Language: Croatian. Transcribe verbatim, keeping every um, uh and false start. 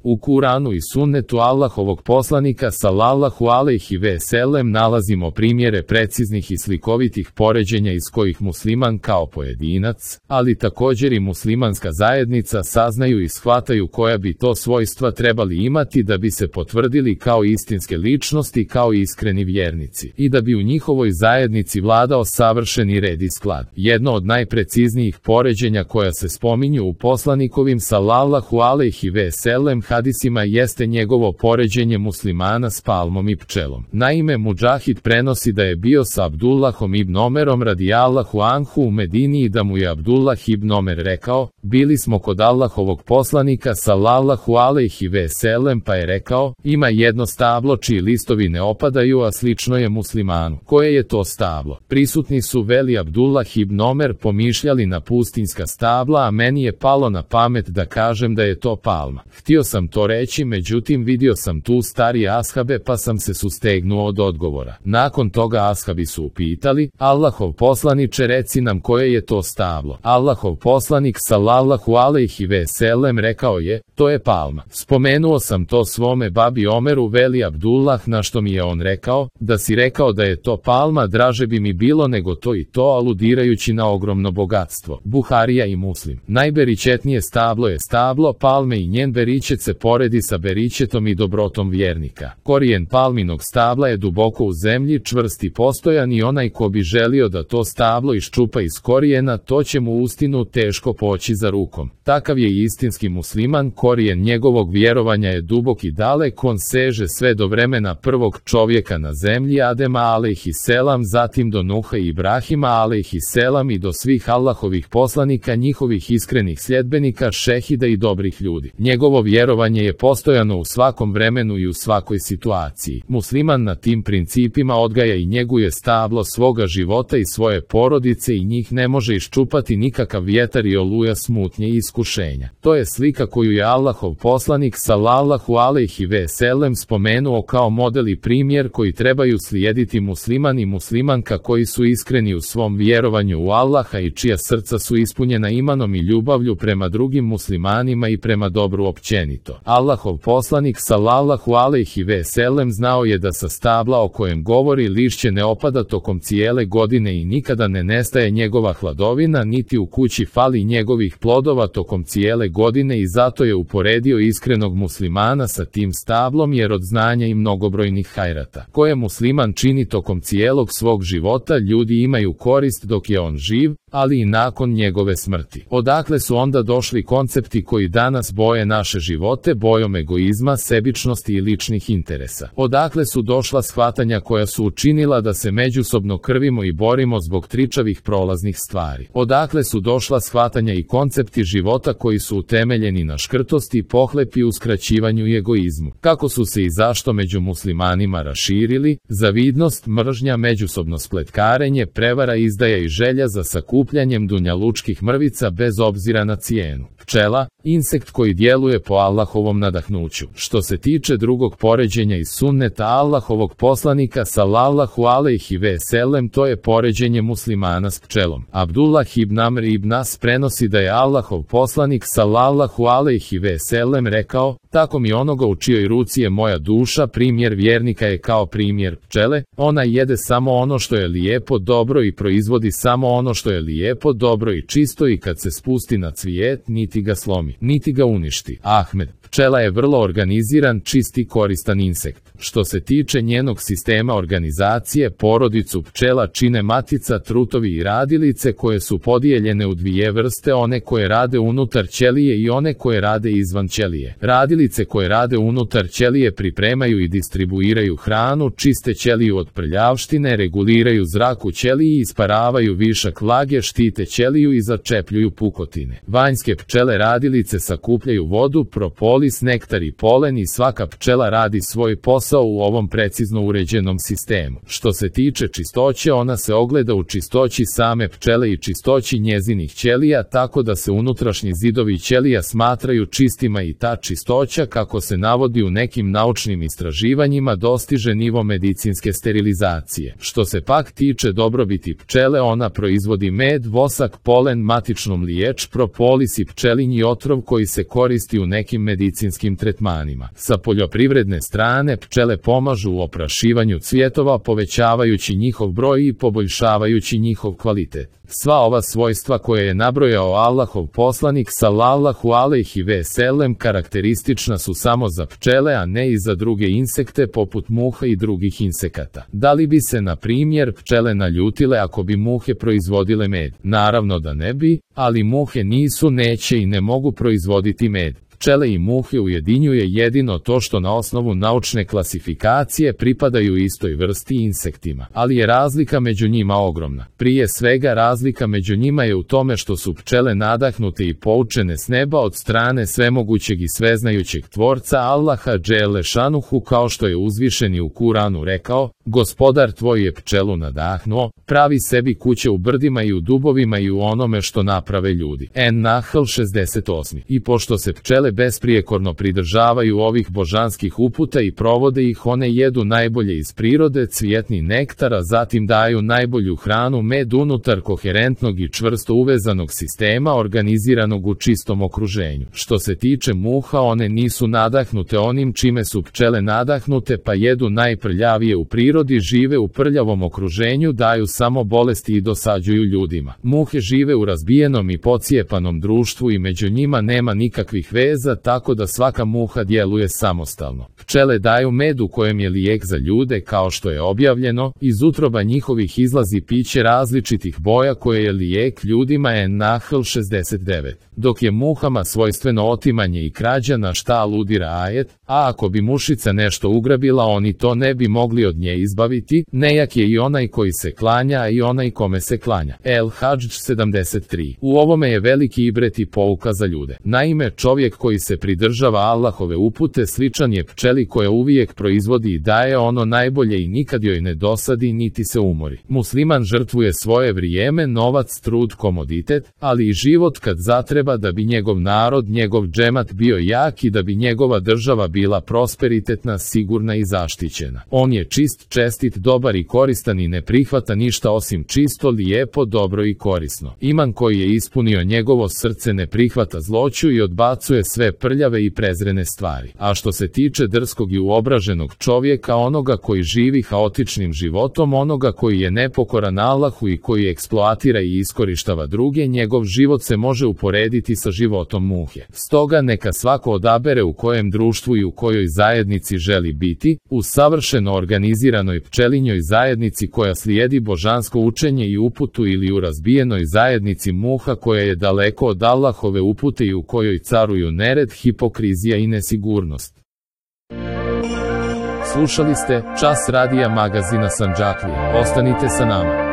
U Kuranu i sunnetu Allahovog poslanika sallallahu alejhi ve sellem nalazimo primjere preciznih i slikovitih poređenja iz kojih musliman kao pojedinac, ali također i muslimanska zajednica saznaju i shvataju koja bi to svojstva trebali imati da bi se potvrdili kao istinske ličnosti, kao iskreni vjernici, i da bi u njihovoj zajednici vladao savršeni red i sklad. Jedno od najpreciznijih poređenja koja se spominju u poslanikovim sallallahu alejhi ve sellem hadisima jeste njegovo poređenje muslimana s palmom i pčelom. Naime, Mudžahid prenosi da je bio sa Abdullahom ibn Omerom radijallahu anhu u Medini i da mu je Abdullah ibn Omer rekao: bili smo kod Allahovog poslanika sallallahu alejhi ve sellem, pa je rekao: ima jedno stablo čiji listovi ne opadaju, a slično je muslimanu. Koje je to stablo? Prisutni su, veli Abdullah ibn Omer, pomišljali na pustinjska stabla, a meni je palo na pamet da kažem da je to palma. Htio sam to reći, međutim vidio sam tu starije ashabe pa sam se sustegnuo od odgovora. Nakon toga ashabi su upitali: Allahov poslaniče, reci nam koje je to stablo. Allahov poslanik sallallahu alejhi ve sellem rekao je: to je palma. Spomenuo sam to svome babi Omeru, veli Abdullah, na što mi je on rekao: da si rekao da je to palma, draže bi mi bilo nego to i to, aludirajući na ogromno bogatstvo. Buharija i Muslim. Najberičetnije stablo je stablo palme i njen beričet se poredi sa beričetom i dobrotom vjernika. Korijen palminog stabla je duboko u zemlji, čvrst i postojan, i onaj ko bi želio da to stablo iščupa iz korijena, to će mu uistinu teško poći za rukom. Takav je i istinski musliman, korijen njegovog vjerovanja je dubok i dalek, on seže sve do vremena prvog čovjeka na zemlji, Adema alejhiselam, zatim do Nuha i Ibrahima alejhiselam i do svih Allahovih poslanika, njihovih iskrenih sljedbenika, šehida i dobrih ljudi. Njegovo vjerovanje je postojano u svakom vremenu i u svakoj situaciji. Musliman na tim principima odgaja i njeguje stablo svoga života i svoje porodice i njih ne može iščupati nikakav vjetar i oluja smutnje i iskušenja. To je slika koju je Allahov poslanik sallallahu alejhi ve sellem spomenuo kao model i primjer koji trebaju slijediti musliman i muslimanka koji su iskreni u svom vjerovanju u Allaha i čija srca su ispunjena imanom i ljubavlju prema drugim muslimanima i prema dobru općenito. Allahov poslanik sallallahu alejhi ve sellem znao je da sa stabla o kojem govori lišće ne opada tokom cijele godine i nikada ne nestaje njegova hladovina, niti u kući fali njegovih plodova tokom cijele godine, i zato je uporedio iskrenog muslimana sa tim stablom, jer od znanja i mnogobrojnih hajrata koje musliman čini tokom cijelog svog života ljudi imaju korist dok je on živ, ali i nakon njegove smrti. Odakle su onda došli koncepti koji danas boje naše živote bojom egoizma, sebičnosti i ličnih interesa? Odakle su došla shvatanja koja su učinila da se međusobno krvimo i borimo zbog tričavih prolaznih stvari? Odakle su došla shvatanja i koncepti života koji su utemeljeni na škrtosti, pohlepi, uskraćivanju i egoizmu? Kako su se i zašto među muslimanima raširili zavidnost, mržnja, međusobno spletkarenje, prevara, izdaja i želja za sakupljanjem dunjalučkih mrvica bez obzira na cijenu? Pčela, insekt koji djeluje po Allahovom nadahnuću. Što se tiče drugog poređenja iz sunneta Allahovog poslanika sallallahu alejhi ve sellem, to je poređenje muslimana s pčelom. Abdullah ibn Amr ibn As prenosi da je Allahov poslanik sallallahu alejhi ve sellem rekao: tako mi onoga u čijoj ruci je moja duša, primjer vjernika je kao primjer pčele, ona jede samo ono što je lijepo, dobro i proizvodi samo ono što je lijepo, dobro i čisto, i kad se spusti na cvijet niti ga slomi, niti ga uništi. Ahmed. Pčela je vrlo organiziran, čist i koristan insekt. Što se tiče njenog sistema organizacije, porodicu pčela čine matica, trutovi i radilice koje su podijeljene u dvije vrste, one koje rade unutar ćelije i one koje rade izvan ćelije. Radilice koje rade unutar ćelije pripremaju i distribuiraju hranu, čiste ćeliju od prljavštine, reguliraju zrak u ćeliji, isparavaju višak vlage, štite ćeliju i začepljuju pukotine. Vanjske pčele radilice sakupljaju vodu, propolis, nektar i polen, i svaka pčela radi svoj posao u ovom precizno uređenom sistemu. Što se tiče čistoće, ona se ogleda u čistoći same pčele i čistoći njezinih ćelija, tako da se unutrašnji zidovi ćelija smatraju čistima i ta čistoća, kako se navodi u nekim naučnim istraživanjima, dostiže nivo medicinske sterilizacije. Što se pak tiče dobrobiti pčele, ona proizvodi med, vosak, polen, matičnu mliječ, propolis i pčelinji otrov koji se koristi u nekim medicinskim medicinskim tretmanima. Sa poljoprivredne strane pčele pomažu u oprašivanju cvjetova, povećavajući njihov broj i poboljšavajući njihov kvalitet. Sva ova svojstva koje je nabrojao Allahov poslanik sallallahu alejhi ve sellem karakteristična su samo za pčele, a ne i za druge insekte poput muha i drugih insekata. Da li bi se, na primjer, pčele naljutile ako bi muhe proizvodile med? Naravno da ne bi, ali muhe nisu, neće i ne mogu proizvoditi med. Pčele i muhe ujedinjuje jedino to što na osnovu naučne klasifikacije pripadaju istoj vrsti insektima, ali je razlika među njima ogromna. Prije svega razlika među njima je u tome što su pčele nadahnute i poučene s neba od strane svemogućeg i sveznajućeg tvorca Allaha dželle šanuhu, kao što je uzvišeni u Kuranu rekao: Gospodar tvoj je pčelu nadahnuo, pravi sebi kuće u brdima i u dubovima i u onome što naprave ljudi. En-Nahl šezdeset osam. I pošto se pčele besprijekorno pridržavaju ovih božanskih uputa i provode ih, one jedu najbolje iz prirode, cvjetni nektar, a zatim daju najbolju hranu, med, unutar koherentnog i čvrsto uvezanog sistema organiziranog u čistom okruženju. Što se tiče muha, one nisu nadahnute onim čime su pčele nadahnute, pa jedu najprljavije u prirodi, žive u prljavom okruženju, daju samo bolesti i dosađuju ljudima. Muhe žive u razbijenom i pocijepanom društvu i među njima nema nikakvih veza, tako da svaka muha djeluje samostalno. Pčele daju med u kojem je lijek za ljude, kao što je objavljeno, iz utroba njihovih izlazi piće različitih boja koje je lijek ljudima. En-Nahl šezdeset devet. Dok je muhama svojstveno otimanje i krađa, na šta aludira ajet, a ako bi mušica nešto ugrabila, oni to ne bi mogli od nje izbaviti, nejak je i onaj koji se klanja, a i onaj kome se klanja. El-Hadž sedamdeset tri. U ovome je veliki ibret i pouka za ljude. Naime, čovjek koji se pridržava Allahove upute sličan je pčeli koja uvijek proizvodi i daje ono najbolje i nikad joj ne dosadi niti se umori. Musliman žrtvuje svoje vrijeme, novac, trud, komoditet, ali i život kad zatreba da bi njegov narod, njegov džemat bio jak i da bi njegova država bila prosperitetna, sigurna i zaštićena. On je čist, čestit, dobar i koristan i ne prihvata ništa osim čisto, lijepo, dobro i korisno. Iman koji je ispunio njegovo srce ne prihvata zloću i odbacuje sve prljave i prezrene stvari. A što se tiče drskog i uobraženog čovjeka, onoga koji živi haotičnim životom, onoga koji je nepokoran Allahu i koji eksploatira i iskorištava druge, njegov život se može uporediti sa životom muhe. Stoga neka svako odabere u kojem društvu i u kojoj zajednici želi biti, u savršeno organiziranoj pčelinjoj zajednici koja slijedi božansko učenje i uputu, ili u razbijenoj zajednici muha koja je daleko od Allahove upute i u kojoj caruju nered, hipokrizija i nesigurnost. Slušali ste Čas radija magazina Sandžaklija. Ostanite sa nama.